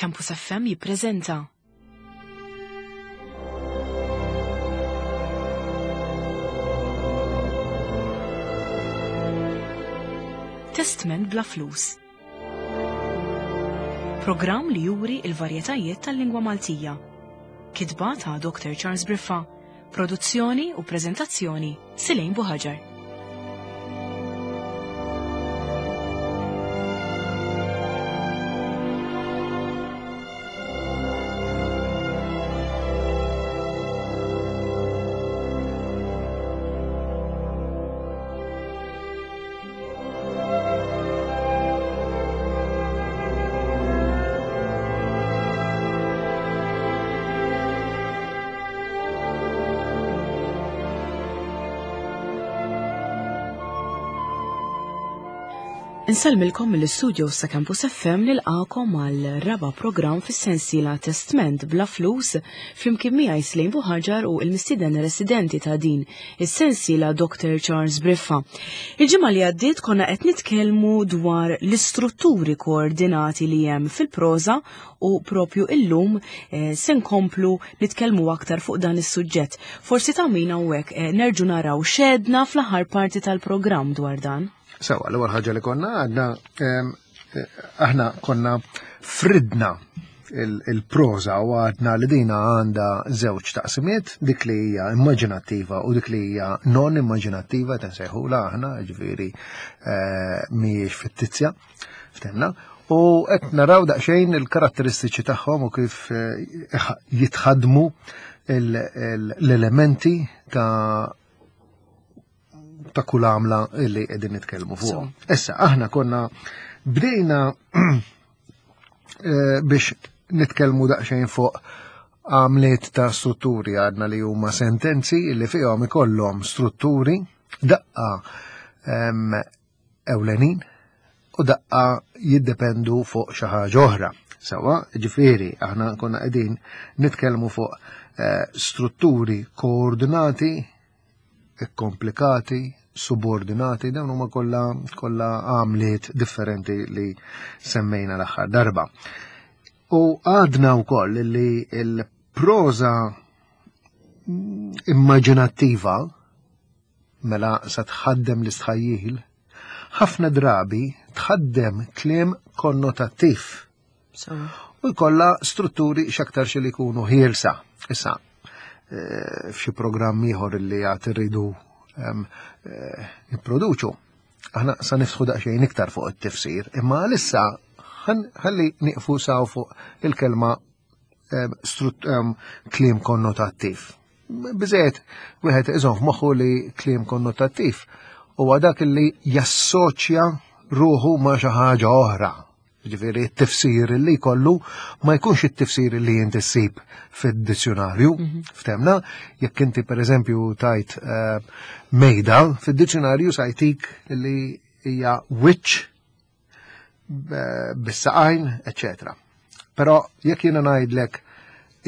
Campus FM jippreżenta. Testment bla flus. Programm li juri il-varjetajiet tal-lingwa Maltija. Kitba ta' Dr. Charles Briffa, produzzjoni u preżentazzjoni Silejn Buħaġar. Insellmilkom mill-istudio sa Campus FM nilqakom għal raba programm fis-sensiela Testment bla flus flimkien miegħi Slejn Buħaġar u l-mistieden residenti ta' din is-sensiela Dr. Charles Briffa. Il-ġimgħa li għaddiet konna qed nitkellmu dwar l-istrutturi koordinati li hemm fil-proża u propju illum eh, se nkomplu nitkellmu aktar fuq dan is-suġġett. Forsi ta' min hawnhekk eh, nerġu naraw xedna fl-aħħar parti tal-programm dwar dan. Sewa, l-ewwel ħaġa li konna għadna ehm, eh, aħna konna fridna il-proza u għadna li dina għanda żewġ taqsimiet, dik li hija immaġinattiva u dik li hija non immaġinattiva tinsejħula aħna, ġifieri eh, mhijiex fittizja, ftemna. U qed naraw daqsxejn il-karatteristiċi tagħhom u kif eh, jitħadmu l-elementi ta' ta' kull għamla li qegħdin nitkellmu fuq. Issa aħna konna bdejna eh, biex nitkellmu daqsxejn fuq għamliet ta' strutturi għadna li huma sentenzi li fihom ikollhom strutturi daqqa ewlenin u daqqa jiddependu fuq xi ħaġa oħra. Sawa, ġifieri aħna konna qegħdin nitkellmu fuq eh, strutturi koordinati ikkomplikati, subordinati, dawn huma kollha kollha għamliet differenti li semmejna l-aħħar darba. U għadna wkoll li l-proża immaġinattiva mela sa tħaddem l-istħajjil, ħafna drabi tħaddem kliem konnotattiv. U jkollha strutturi x'aktarx li jkunu ħielsa. Issa, eh, f'xi programm ieħor li għad irridu eh, nipproduċu, aħna sa niftħu daqsxejn iktar fuq it-tifsir, imma għalissa ħalli nieqfu saw fuq il-kelma kliem konnotattiv. Biżejjed wieħed iżomm f'moħħu li kliem konnotattiv huwa dak li jassoċja ruħu ma' xi ħaġa oħra. Ġifieri t-tifsir li jkollu ma jkunx it-tifsir li inti ssib fid-dizzjonarju. Mhm. Ftemna, jekk inti pereżempju tajt eh, mejda, fid-dizzjonarju sajtik li hija witch bis-saqajn, eċetera. Però jekk jiena ngħidlek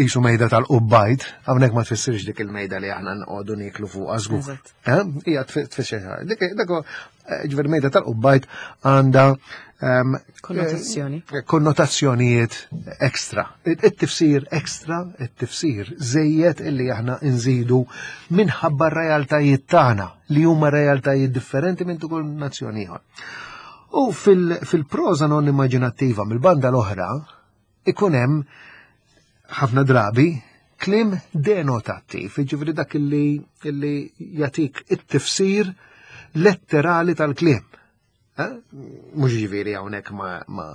isu mejda tal-qubbajt, hawnhekk ma tfissirx dik il-mejda li aħna nqogħdu nieklu fuqha żgur. Eh? Hija tfisser dik dak eh, ġifier mejda tal-qubbajt għandha ehm, konnotazzjoni. Eh, konnotazzjonijiet ekstra. It-tifsir ekstra, it-tifsir żejjed illi aħna nżidu minħabba r-realtajiet tagħna li huma realtajiet differenti minn kull nazzjoni ieħor. U fil-proża non immaġinattiva mill-banda l-oħra ikun hemm ħafna drabi klim denotattiv, jiġifieri dak li illi jatik it-tifsir letterali tal-kliem. Eh? Mhux ġifieri hawnhekk ma, ma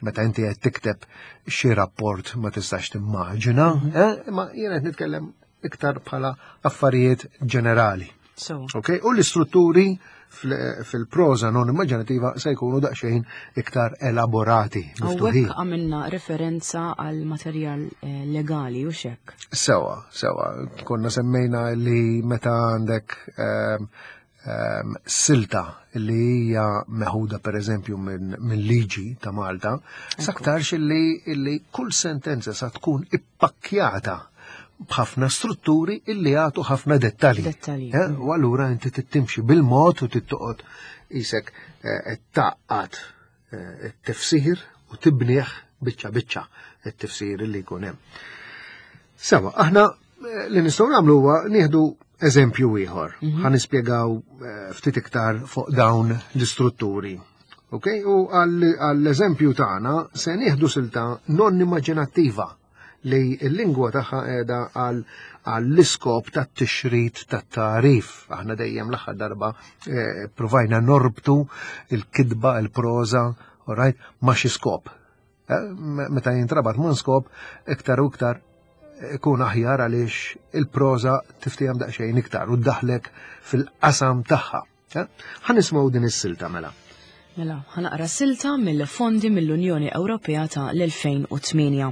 meta inti qed tikteb xi rapport ma tistax timmaġina, mhm. eh? ma jien qed nitkellem iktar bħala affarijiet ġenerali. So. Okay? U l-istrutturi fil-proza non immaġinativa se jkunu daqsxejn iktar elaborati. Hawnhekk għamilna referenza għal materjal eh, legali u xek. Sewa, sewa. Konna semmejna li meta għandek ehm, ehm, silta li hija meħuda per eżempju minn liġi ta' Malta, saktarx li, li kull sentenza sa tkun ippakkjata b'ħafna strutturi illi jagħtu ħafna dettalji. Dettalji. Eh, u allura inti tittimxi bil-mod u tittoqgħod isek eh, taqqat eh, it-tifsir u tibnieh biċċa biċċa it-tifsir li jkun hemm. Sewa, aħna eh, li nistgħu nagħmlu huwa nieħdu eżempju ieħor. Mhm. Ħa nispjegaw eh, ftit iktar fuq dawn l-istrutturi. Ok, u għall-eżempju tagħna se nieħdu silta non immaġinattiva li l-lingwa tagħha qiegħda għall-iskop tat-tixrid tat-tagħrif. Aħna dejjem l-aħħar darba eh, provajna norbtu il-kitba, il-proża, right, ma' xi skop. Eh, meta jintrabat ma' skop, iktar u iktar ikun aħjar għaliex il-proża tiftihom daqsxejn iktar u ddaħlek fil-qasam tagħha. Eh? Ħa nisimgħu din is-silta mela. Mela, ħa naqra silta mill-fondi mill-Unjoni Ewropea ta' l-2008.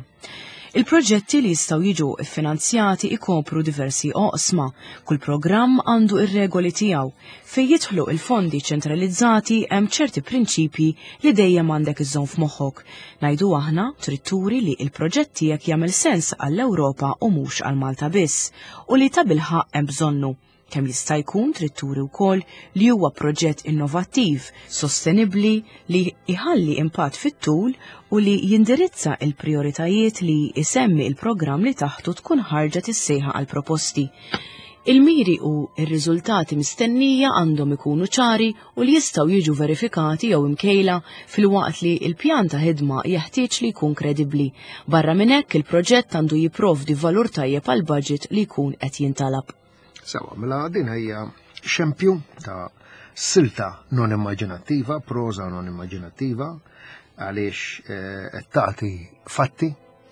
Il-proġetti li jistgħu jiġu ffinanzjati ikopru diversi oqsma. Kull programm għandu ir-regoli tiegħu. Fejn jidħlu il-fondi ċentralizzati hemm ċerti prinċipji li dejjem għandek iżżomm f'moħħok. Ngħidu aħna trid turi li il-proġett tiegħek jagħmel sens għall-Ewropa u mhux għal Malta biss u li tabilħaqq hemm bżonnu. Kemm jista' jkun trid turi wkoll li huwa proġett innovattiv, sostenibbli li jħalli impatt fit-tul u li jindirizza il-prijoritajiet li jsemmi il-programm li taħtu tkun ħarġet is-sejħa għal proposti. Il-miri u r-riżultati mistennija għandhom ikunu ċari u li jistgħu jiġu verifikati jew imkejla filwaqt li l-pjan ta' ħidma jeħtieġ li jkun kredibbli. Barra minn hekk il-proġett għandu jipprovdi valur tajjeb għal budget li jkun qed jintalab. Sewa, mela din hija xempju ta' silta non immaġinattiva, proża non immaġinattiva, għaliex eh, qed tagħti fatti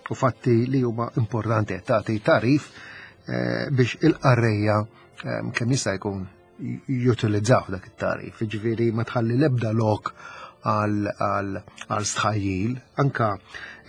u fatti li huma importanti qed tagħti tarif eh, biex il-qarrejja eh, kemm jista' jkun jutilizzaw dak it-tarif, ġifieri ma tħalli l-ebda lok għal stħajjil, anka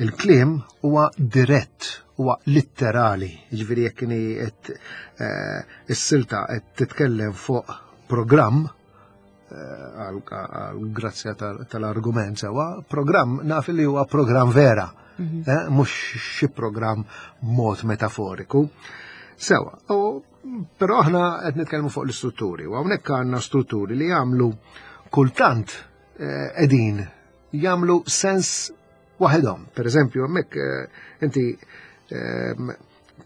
il-kliem huwa dirett, huwa litterali, ġifieri jekk inhi qed eh, is-silta qed titkellem fuq programm eh, għal grazzja tal-argument sewa, programm naf li huwa programm vera, mhm. eh, mhux xi programm mod metaforiku. Sewa, u Però aħna qed nitkellmu fuq l-istrutturi u hawnhekk għandna strutturi li jagħmlu kultant eh, qegħdin jagħmlu sens waħedhom. Per eżempju, hemmhekk eh, inti ehm,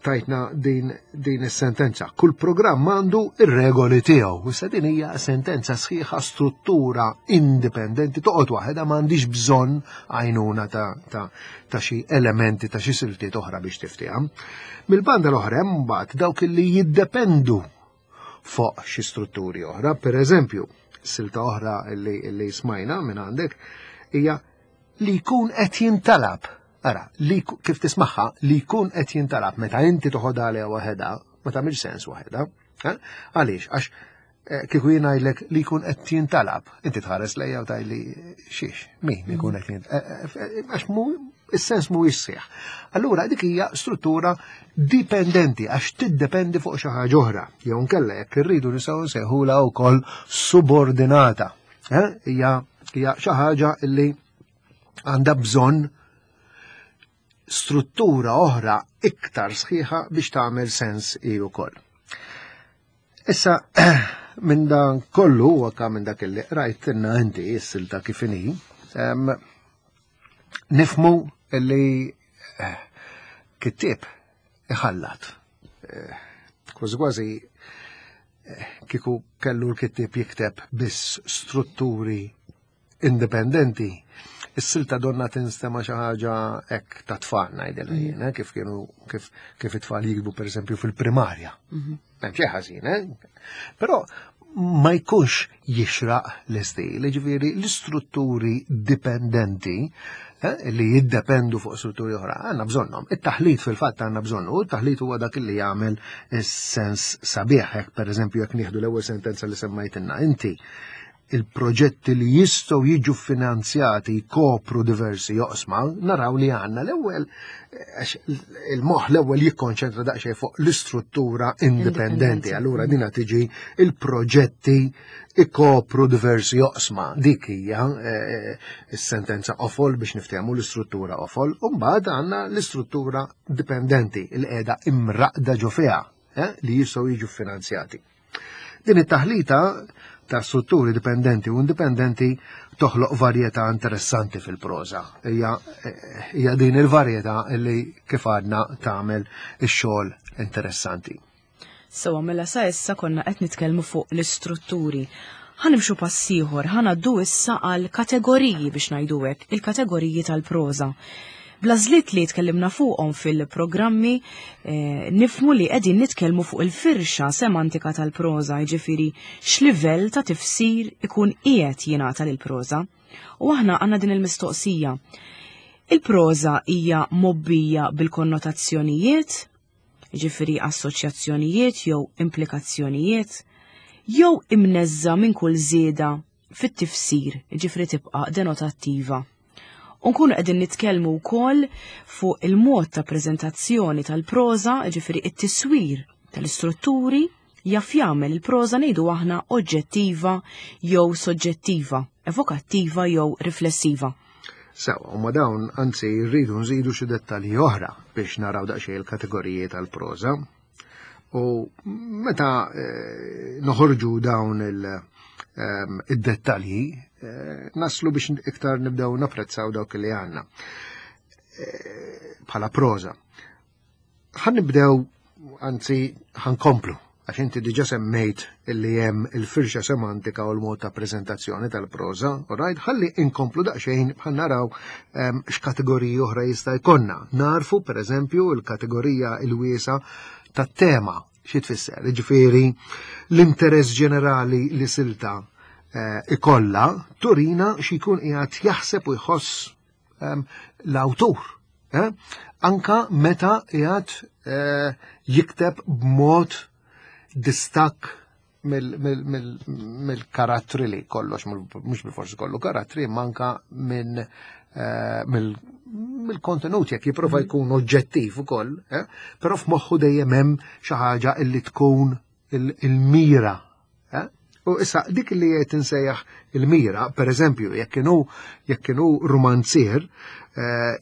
tajtna din, din is-sentenza. Kull programm għandu ir-regoli tiegħu. Issa din hija sentenza sħiħa struttura indipendenti toqgħod waħedha m'għandix bżonn għajnuna ta', ta, ta' xi elementi ta' xi siltiet oħra biex tiftiha. Mill-banda l-oħra hemm mbagħad dawk li jiddependu fuq xi strutturi oħra, per eżempju, silta oħra li, li smajna minn għandek hija li jkun qed jintalab. Ara, li kif tismaħħa li jkun qed jintalab meta inti toħodha għaliha waħedha, ma tagħmilx sens waħedha. Eh? Għaliex? Għax eh, kieku jien ngħidlek li jkun qed jintalab, inti tħares lejja u tgħidli xiex, min ikun qed jintalab. Eh, għax mu is-sens mhuwiex sieħ. Allura dik hija struttura dipendenti għax tiddependi fuq xi ħaġa oħra. Jew nkella jekk irridu nistgħu nsejħulha wkoll subordinata. Hija xi ħaġa li għandha bżonn struttura oħra iktar sħiħa biex tagħmel sens hi wkoll. Issa minn dan kollu u anka minn dak li rajt inna inti s-silta kif inhi, nifmu li eh, kittieb iħallat. Eh, kważi kważi eh, kieku kellu l-kittieb jikteb biss strutturi indipendenti, is-silta donna tinstema xi ħaġa hekk ta' tfal ngħidilha mm. jien, eh, kif kienu kif kif it-tfal jikbu pereżempju fil-primarja. Mhm. Hemm xi ħażin, eh? Però ma jkunx jixraq l-istil, ġifieri l-istrutturi dipendenti eh, li jiddependu fuq strutturi oħra, għandna bżonnhom. It-taħlit fil-fatt għandna bżonnu, it-taħlit huwa dak li jagħmel is-sens sabiħ, hekk pereżempju jekk nieħdu l-ewwel sentenza li semmajtilna inti, il-proġetti li jistgħu jiġu finanzjati jkopru diversi joqsma, naraw li għandna l-ewwel għax il-moħħ l-ewwel jikkonċentra daqsxejn fuq l-istruttura indipendenti. Allura dina tiġi il-proġetti ikopru diversi joqsma. Dik hija eh, s-sentenza qofol biex niftehmu l-istruttura qofol, u mbagħad għandna l-istruttura dipendenti li qiegħda imraqda ġo fiha eh, li jistgħu jiġu finanzjati. Din it-taħlita ta' strutturi dipendenti u indipendenti toħloq varjetà interessanti fil-proża. Hija din il-varjetà li kif għadna tagħmel ix-xogħol interessanti. Sewa mela sa issa konna qed nitkellmu fuq l-istrutturi. Ħa nimxu pass ieħor, ħa ngħaddu issa għal kategoriji biex ngħidu hekk, il-kategoriji tal-proża. Bl-għażliet li tkellimna fuqhom fil-programmi eh, nifmu li qegħdin nitkellmu fuq il-firxa semantika tal-proża, jiġifieri x'livell ta' tifsir ikun qiegħed jingħata lill-proża. U aħna għandna din il-mistoqsija. Il-proża hija mobbija bil-konnotazzjonijiet, jiġifieri assoċjazzjonijiet jew implikazzjonijiet, jew imneżża minn kull żieda fit-tifsir, jiġifieri tibqa' denotattiva. U nkunu qegħdin nitkellmu wkoll fuq il-mod ta' preżentazzjoni tal-proża, jiġifieri it-tiswir tal-istrutturi jaf jagħmel il-proża ngħidu aħna oġġettiva jew soġġettiva, evokattiva jew riflessiva. Sewa, u ma dawn anzi rridu nżidu xi dettalji oħra biex naraw daqsxejn il-kategoriji tal-proża. U meta eh, noħorġu dawn ehm, id-dettalji, eh, naslu biex iktar nibdew napprezzaw dawk li għandna eh, bħala proża. Ħan nibdew, anzi, ħan komplu, għax inti diġa semmejt illi hemm il-firxa semantika u l-mod ta' preżentazzjoni tal-proża, right? Ħalli inkomplu daqsxejn bħal naraw ehm, x'kategoriji oħra jista' jkollna. Narfu, per eżempju, il-kategorija il-wiesa tat-tema xi tfisser, ġifieri l-interess ġenerali li silta eh, ikolla turina xi jkun qiegħed jaħseb u jħoss ehm, l-awtur. Eh? Anka meta qiegħed eh, jikteb b'mod distakk mill-karattri li kollox, mhux bil-forsi kollu karattri, manka minn eh, mill-kontenut jekk jipprova mhm. jkun oġġettiv ukoll, però f'moħħu dejjem hemm xi ħaġa illi tkun il-mira. Eh? U issa dik li qed insejjaħ il-mira, per eżempju, jekk kienu jekk kienu romanzier, eh,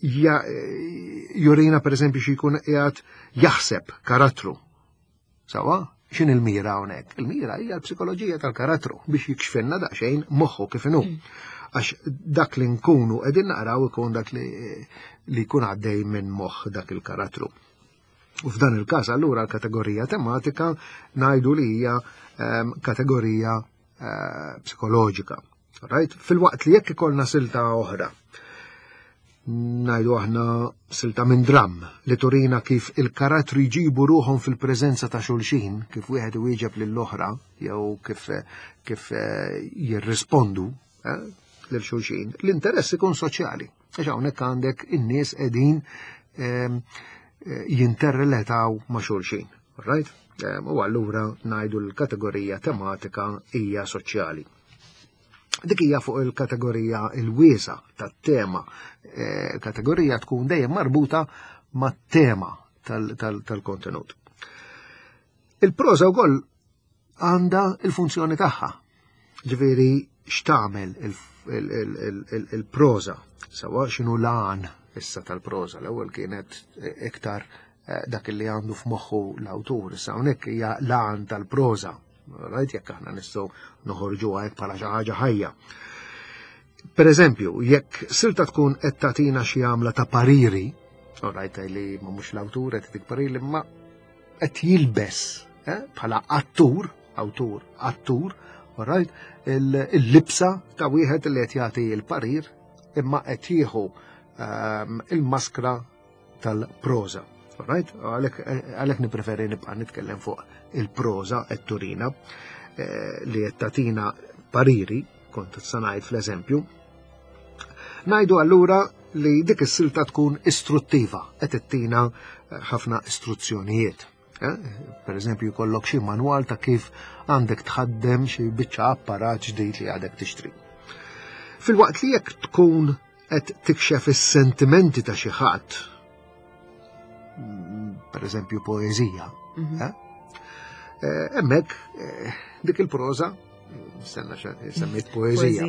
jurina per eżempju xi jkun qiegħed jaħseb karattru. Sawa? X'in il-mira hawnhekk? Il-mira hija l-psikoloġija tal-karattru biex jikxfilna daqsxejn moħħu kif inhu. Mm. Għax dak li nkunu qegħdin naqraw ikun dak li jkun għaddej minn moħħ dak il-karattru. U f'dan il-każ allura l-kategorija tematika ngħidu li hija ehm, kategorija eh, psikoloġika. Right? Fil-waqt li jekk ikollna silta oħra, ngħidu aħna silta minn dram li turina kif il-karattri jġibu ruħhom fil-preżenza ta' xulxin, kif wieħed iwieġeb lill-oħra jew kif kif eh, jirrispondu eh, lil xulxin, l-interess ikun soċjali. Għax hawnhekk għandek in-nies qegħdin ehm, eh, jinterreletaw ma' xulxin. Right? Ehm, u allura ngħidu l-kategorija tematika hija soċjali. Dik hija fuq il-kategorija il-wiesa tat-tema. Eh, kategorija tkun dejjem marbuta mat-tema tal-kontenut. Il-proża wkoll għandha il-funzjoni tagħha. Ġifieri x'tagħmel il-proża, sawa x'inhu l-għan issa tal-proża. L-ewwel kienet iktar eh, dak li għandu f'moħħu l-awtur, issa hawnhekk hija l-għan tal-proża. Rajt jekk aħna nistgħu noħorġu hekk bħala xi ħaġa ħajja. Per eżempju, jekk silta tkun qed tagħtina xi għamla ta' pariri, rajt li ma mhux l-awtur qed tik pariri, ma qed jilbes eh, bħala attur, awtur, attur, right, il-libsa ta' wieħed li qed jagħti l-parir imma qed jieħu ehm, il-maskra tal-proża. Right? Għalhekk nippreferi nibqa' nitkellem fuq il-proża qed turina eh, li qed tagħtina pariri, kont sa ngħid fl-eżempju. Ngħidu allura li dik is-silta tkun istruttiva, qed ittina eh, ħafna istruzzjonijiet. Eh? Per eżempju, jkollok xi manwal ta' kif għandek tħaddem xi biċċa apparat ġdid li għadek tixtri. Fil-waqt li jekk tkun qed tikxef is-sentimenti ta' xi ħadd, mm, per eżempju poeżija, mhm. eh? Eh, hemmhekk dik il-proża Senna semmejt poezija,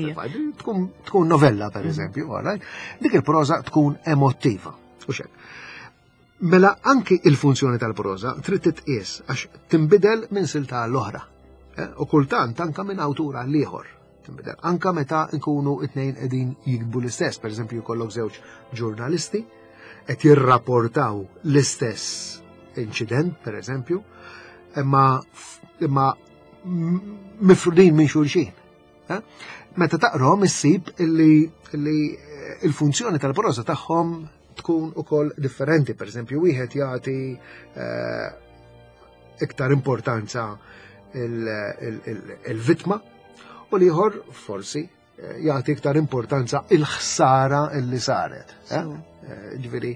tkun, tkun novella per mhm. eżempju, mm. dik il-proza tkun emottiva. U xek. Mela anki il-funzjoni tal-proza trid titqies għax tinbidel minn silta l-oħra. Eh, u kultant anka minn awtur għal ieħor tinbidel. Anka meta nkunu it-tnejn qegħdin jiktbu l-istess, pereżempju jkollok żewġ ġurnalisti qed jirrapportaw l-istess inċident, pereżempju, imma imma mifrudin minn xulxin. Eh? Meta taqrom issib illi eh, il-funzjoni tal-prosa tagħhom tkun ukoll differenti. Per eżempju, wieħed jagħti eh, iktar importanza il-vitma u l-ieħor forsi jagħti iktar importanza il-ħsara illi saret. Ġifieri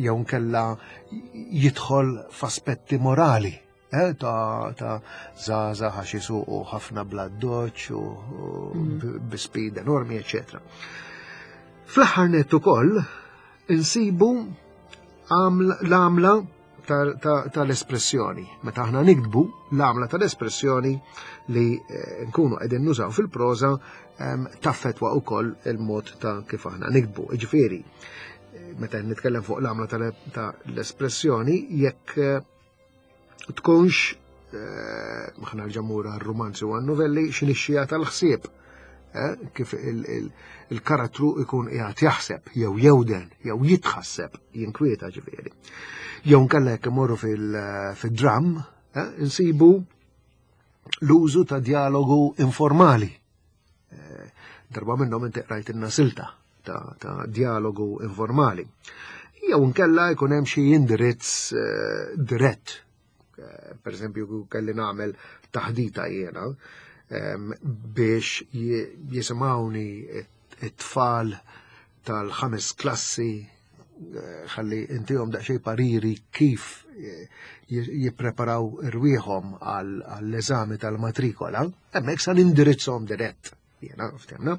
jew nkella jidħol f'aspetti morali Eh, ta' ta' zaza għax jisuqu ħafna bla doċ u mm. bi speed enormi, eccetera. Fl-aħħar net ukoll insibu l-għamla tal-espressjoni. Meta aħna nikdbu l-għamla tal-espressjoni li eh, nkunu qegħdin nużaw fil-proża taffetwa wkoll il-mod ta' kif aħna nikdbu. Ġifieri, eh, meta nitkellem fuq l-għamla tal-espressjoni, jekk eh, tkunx eh, ħna l-ġamura romanzi u novelli xinixxija tal-ħsieb eh, kif il-karattru ikun qiegħed jaħseb jew jewden jew jitħasseb jinkwieta ġifieri. Jew nkella jekk imorru fil-dram eh, insibu l-użu ta' dialogu informali. Darba minnhom inti qrajt silta ta', ta dialogu informali. Jew nkella jkun hemm xi indirizz eh, dirett. Eh, per eżempju, kelli nagħmel taħdita jiena ehm, biex jisimgħuni it-tfal tal-ħames klassi eh, ħalli intihom daqsxejn pariri kif jippreparaw irwieħhom għall-eżami tal-matrikola, hemmhekk sa nindirizzhom dirett. Jena, ftemna.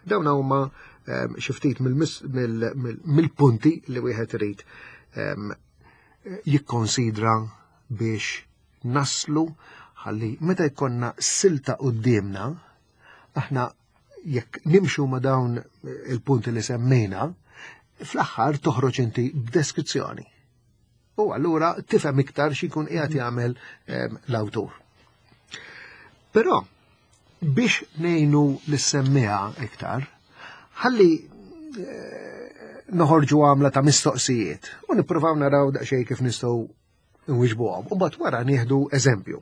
Dawn huma ehm, xi ftit mill-punti li wieħed irid ehm, jikkonsidra biex naslu ħalli meta jkollna silta qudiemna, aħna jekk nimxu ma' dawn il-punti li semmejna, fl-aħħar toħroġ inti b'deskrizzjoni. U allura tifhem iktar x'ikun qiegħed jagħmel ehm, l-awtur. Però biex ngħinu lis-semmiegħa iktar, ħalli eh, noħorġu għamla ta' mistoqsijiet u nippruvaw naraw daqsxejn kif nistgħu nwiġbuhom. U mbagħad wara nieħdu eżempju.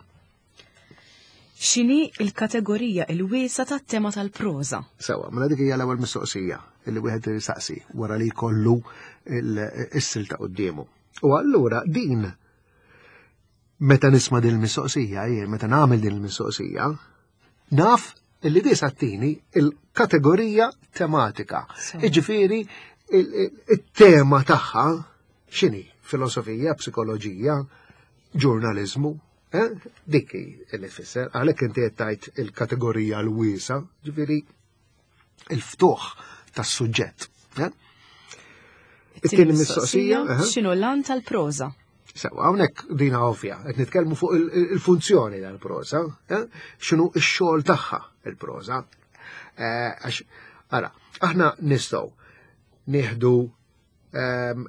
X'inhi l-kategorija il-wiesa tat-tema tal-proża? Sewa, mela dik hija l-ewwel mistoqsija li wieħed jistaqsi wara li jkollu is-silta quddiemu. U allura din meta nisma' din il-mistoqsija, jien meta nagħmel din il-mistoqsija, naf illi di sattini il-kategorija tematika. Iġifieri il-tema tagħha x'inhi? Filosofija, psikoloġija, ġurnaliżmu, Eh? Dik li tfisser, għalhekk inti qed tgħid il-kategorija l-wiesa, ġifieri il-ftuħ tas-suġġett. Eh? It-tieni mistoqsija, eh? x'inhu l-għan tal-proża? Sewa, hawnhekk dina ovvja, qed nitkellmu fuq il-funzjoni tal-proża, x'inhu x-xogħol tagħha il-proża. Għax, ara, aħna nistgħu nieħdu ehm,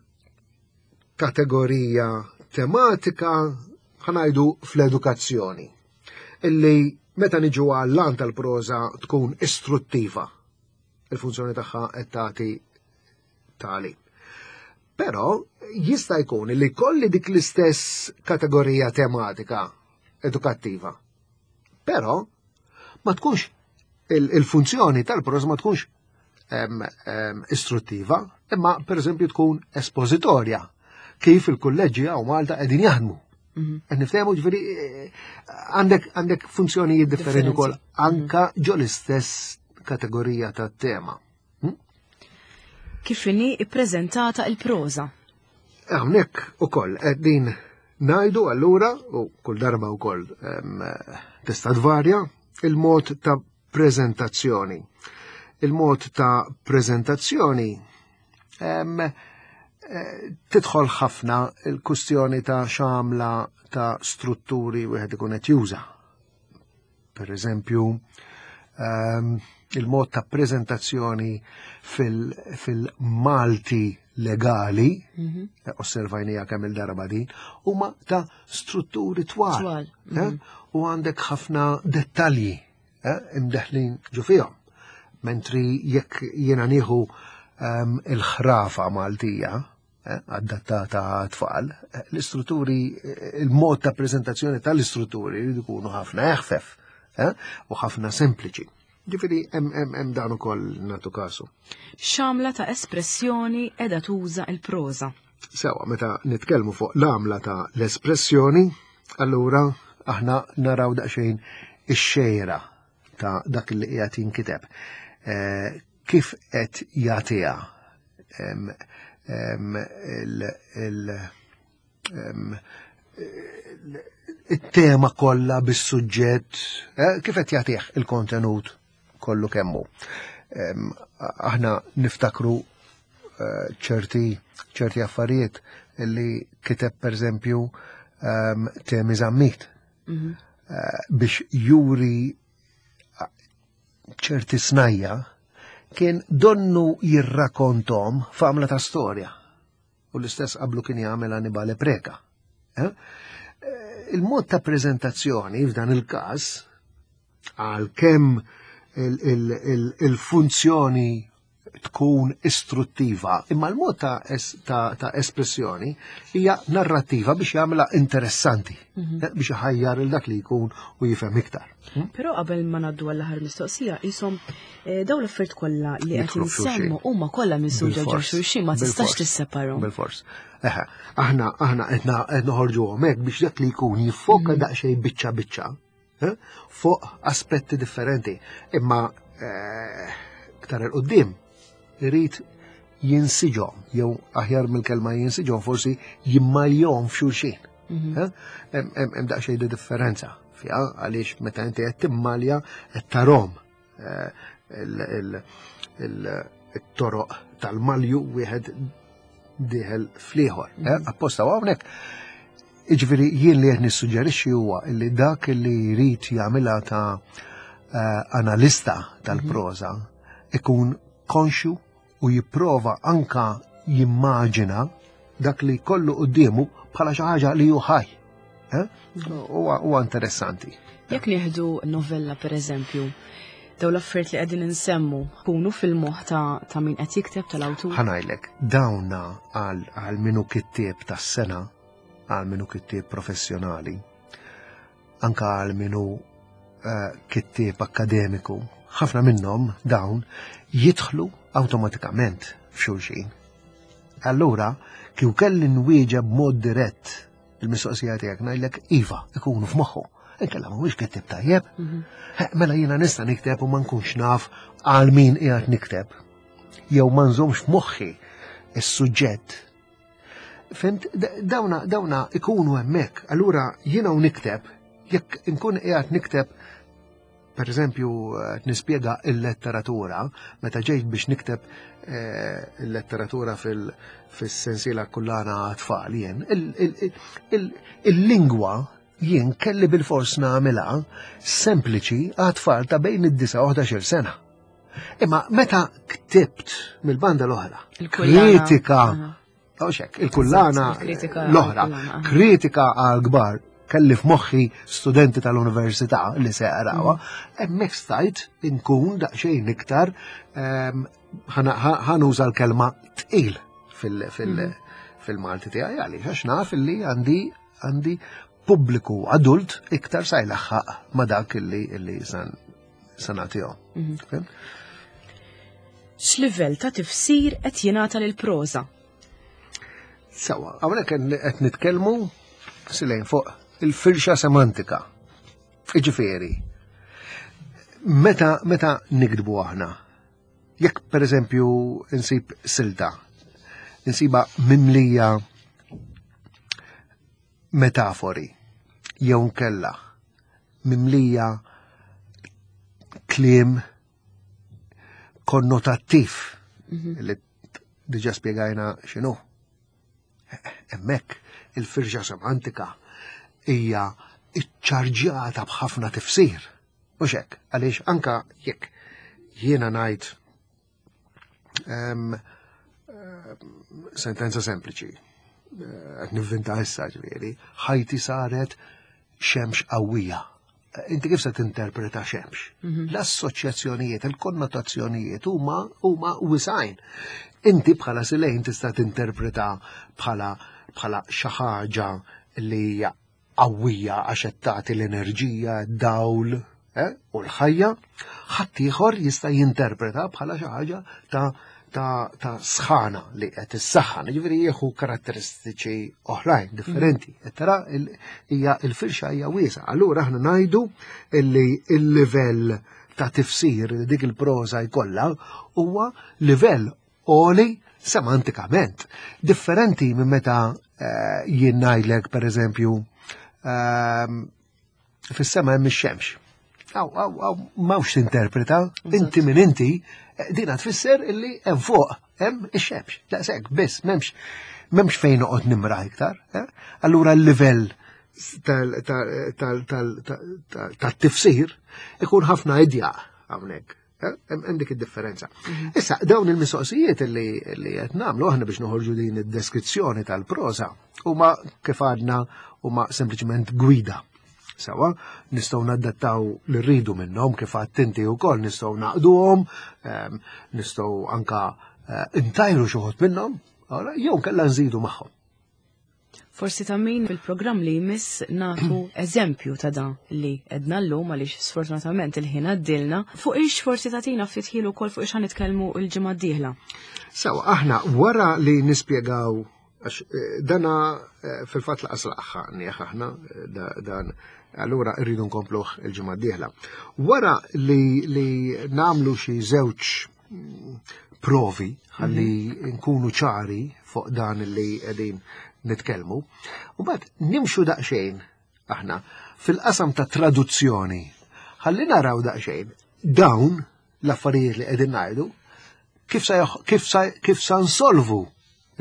kategorija tematika ħanajdu fl-edukazzjoni illi meta niġu għall-lan tal-proża tkun istruttiva il-funzjoni tagħha qed tagħti tali. Però jista' jkun li kolli dik l-istess kategorija tematika edukattiva. Però ma tkunx il-funzjoni tal-proża ma tkunx istruttiva, imma per eżempju tkun espozitorja, kif il-kulleġġi għaw Malta qegħdin jaħdmu. Mhm. Qed niftehmu ġifieri eh, għandek għandek funzjonijiet differenti ukoll mhm. anka ġo l-istess kategorija ta' tema. Hm? Kif inhi ippreżentata il-proża? Hawnhekk ukoll qegħdin ngħidu allura u kull darba wkoll tista' tvarja il-mod ta' preżentazzjoni. Il-mod ta' preżentazzjoni eh, tidħol ħafna il-kustjoni ta' xamla ta' strutturi wieħed ikun qed juża. Per eżempju, il-mod ta' preżentazzjoni fil-Malti fil legali, osservajnija kemm il-darba din, huma ta' strutturi twal. Twal, U għandek ħafna dettalji imdeħlin ġo fihom. Mentri jekk jiena nieħu il-ħrafa Maltija, adattata għat-tfal, l-istrutturi, il-mod ta' prezentazzjoni tal-istrutturi jridu jkunu ħafna eħfef u ħafna sempliċi. Ġifieri hemm dan ukoll nagħtu kasu. X'għamla ta' espressjoni qiegħda tuża l-proża? Sewa, meta nitkellmu fuq l-għamla ta' l-espressjoni, allura aħna naraw daqsxejn ix-xejra ta' dak li qiegħed jinkiteb. Kif qed jagħtiha it-tema kollha bis-suġġett, kif qed jagħtih il-kontenut kollu kemmu. Aħna niftakru ċerti affarijiet li kiteb pereżempju Temi Zammit biex juri ċerti snajja kien donnu jirrakontom f'għamla ta' storja. U l-istess qablu kien jagħmel Annibale Preca. Il-mod ta' prezentazzjoni f'dan il-każ, għalkemm il-funzjoni tkun istruttiva, imma l-mod ta' espressjoni hija narrattiva biex jagħmilha interessanti, biex iħajjar il dak li jkun u jifhem iktar. Però qabel ma ngħaddu għall-aħħar mistoqsija, qishom dawn l-affarijiet kollha li qed Jidħlu f'xulxin. insemmu huma kollha minsuġa ġo xulxin, ma tistax tisseparhom. Bil-fors. Eħe, aħna qed noħorġuhom hekk biex dak li jkun jiffoka daqsxejn biċċa biċċa, fuq aspetti differenti. Imma iktar 'il quddiem irid jinsiġhom, jew aħjar mill-kelma jinsiġhom forsi jimmaljhom f'xulxin. Hemm daqsxejn di differenza fiha, għaliex meta inti qed timmalja qed tarom it-toroq tal-malju wieħed dieħel fl-ieħor. Apposta hawnhekk. Jiġifieri jien li qed nissuġġerixxi huwa li dak li jrid jagħmilha ta' analista tal-proża ikun konxju u jipprova anka jimmaġina dak li kollu quddiemu bħala xi ħaġa li hu ħaj. Huwa interessanti. Jekk nieħdu novella pereżempju, dawn l-affarijiet li qegħdin insemmu kunu fil-moħħ ta' min qed jikteb tal-awtur? Ħa ngħidlek, dawna għal minu kittieb tas-sena, għal minu kittieb professjonali, anka għal minu kittieb akademiku, ħafna minnhom dawn jidħlu awtomatikament f'xulxin. Allura, kieku kelli nwieġeb b'mod dirett il-mistoqsija tiegħek ngħidlek iva, ikunu f'moħħu. Inkella mhuwiex kittieb tajjeb. Mela jiena nista' nikteb u ma nkunx naf għal min qiegħed nikteb. Jew ma nżommx f'moħħi is-suġġett. Fimt? Dawna ikunu hemmhekk. Allura jiena u nikteb, jekk inkun qiegħed nikteb, per eżempju, qed nispjega il-letteratura, meta ġejt biex nikteb il-letteratura fis-sensiela kullana tfal jien, il-lingwa jien kelli bil-fors nagħmilha sempliċi għat-tfal ta' bejn id-disa u ħdax-il sena. Imma meta ktibt mill-banda l-oħra, Il-kullana. kritika, Għaxek, il-kullana Eżatt, il-kritika l-oħra, għall-kullana, aha. kritika għal-kbar, kelli f'moħħi studenti tal-università li se jarawha, hemmhekk stajt inkun daqsxejn iktar ħanuża l-kelma tqil fil-Malti tiegħi għaliex għax naf li għandi pubbliku adult iktar sa jlaħħaq ma dak illi san nagħtihom. Fim? X'livell ta' tifsir qed jingħata lill-proża? Sawa, hawnhekk qed nitkellmu silejn fuq il-firxa semantika. Jiġifieri, meta nikdbu aħna, jekk pereżempju insib silta, insiba mimlija metafori, jew nkella mimlija kliem konnotattiv, li diġa spjegajna x'inhu. Hemmhekk il-firxa semantika hija iċċarġjata b'ħafna tifsir. Mhux hekk, għaliex anka jekk jiena ngħid Sentenza sempliċi. Eh, qed nivvinta issa ġifieri, ħajti saret xemx qawwija. Eh, inti kif se tinterpreta xemx? Mhm. L-assoċjazzjonijiet, il-konnotazzjonijiet huma huma wisajn. Inti bħala silejn tista' tinterpreta bħala bħala xi ħaġa li hija qawwija għax qed tagħti l-enerġija, dawl eh, u l-ħajja, ħaddieħor jista' jinterpreta bħala xi ħaġa ta' ta', ta sħana li qed issaħħan, jiġifieri jieħu karatteristiċi oħrajn differenti. Mhm. Qed tara hija l-firxa hija wiesa. Allura aħna ngħidu li l-livell ta' tifsir li dik il-proża jkollha huwa livell għoli semantikament. Differenti minn meta eh, jien ngħidlek pereżempju ehm, fis-sema hemm ix-xemx. Aw, aw, aw, m'hawnx tinterpreta, inti minn inti, eh, dina tfisser illi hemm fuq hemm ix-xemx. Daqshekk biss m'hemmx m'hemmx fejn noqgħod nimra iktar. Eh? Allura l-livell tal-tifsir ikun ħafna idjaq hawnhekk. Eh, hemm dik id-differenza. Mhm. Issa, dawn il-mistoqsijiet li qed nagħmlu aħna biex noħorġu din id-deskrizzjoni tal-proża huma kif għadna huma sempliċement gwida. Sawa, nistgħu nadattaw li rridu minnhom kif għadt inti wkoll nistgħu naqduhom, ehm, nistgħu anka eh, intajru xi minnhom, jew kellha nżidu magħhom. Forsi ta' min fil-programm li jmiss nagħtu eżempju ta' dan li edna llum għaliex sfortunatament il-ħin għaddilna. Fuq ix forsi tagħtina ftit ħin ukoll fuq ix nitkellmu l-ġimgħa d-dieħla. Sewa, aħna wara li nispjegaw għax eh, dana eh, fil-fatt laqas laqħa nieħ aħna eh, dan allura rridu nkompluh il-ġimgħa d-dieħla. Wara li, li namlu xi żewġ provi ħalli mhm. nkunu ċari fuq dan li qegħdin nitkellmu. U mbagħad nimxu daqsxejn aħna fil-qasam ta' traduzzjoni ħalli naraw daqsxejn dawn l-affarijiet li qegħdin ngħidu kif sa kif sa kif sa nsolvu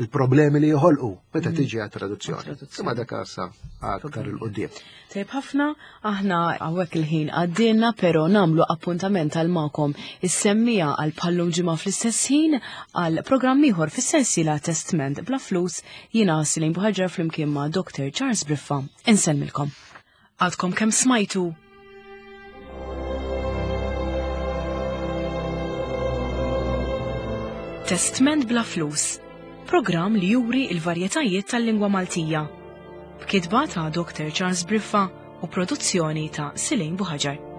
il-problemi li joħolqu meta mm. tiġi għat-traduzzjoni. Imma dak għassa aktar il-qudiem. Tajb ħafna, aħna hawnhekk il-ħin għaddilna, però nagħmlu appuntament għal magħkom is-semmija għal bħallum ġimgħa fl-istess ħin għal programm ieħor fis-sensiela Testment bla flus jiena Silin Buħaġar flimkien ma' Dr. Charles Briffa. Insellmilkom. Għadkom kemm smajtu Testment bla flus, programm li juri il-varjetajiet tal-lingwa Maltija. B'kitba ta' Dr. Charles Briffa u produzzjoni ta' Silin Buħaġar.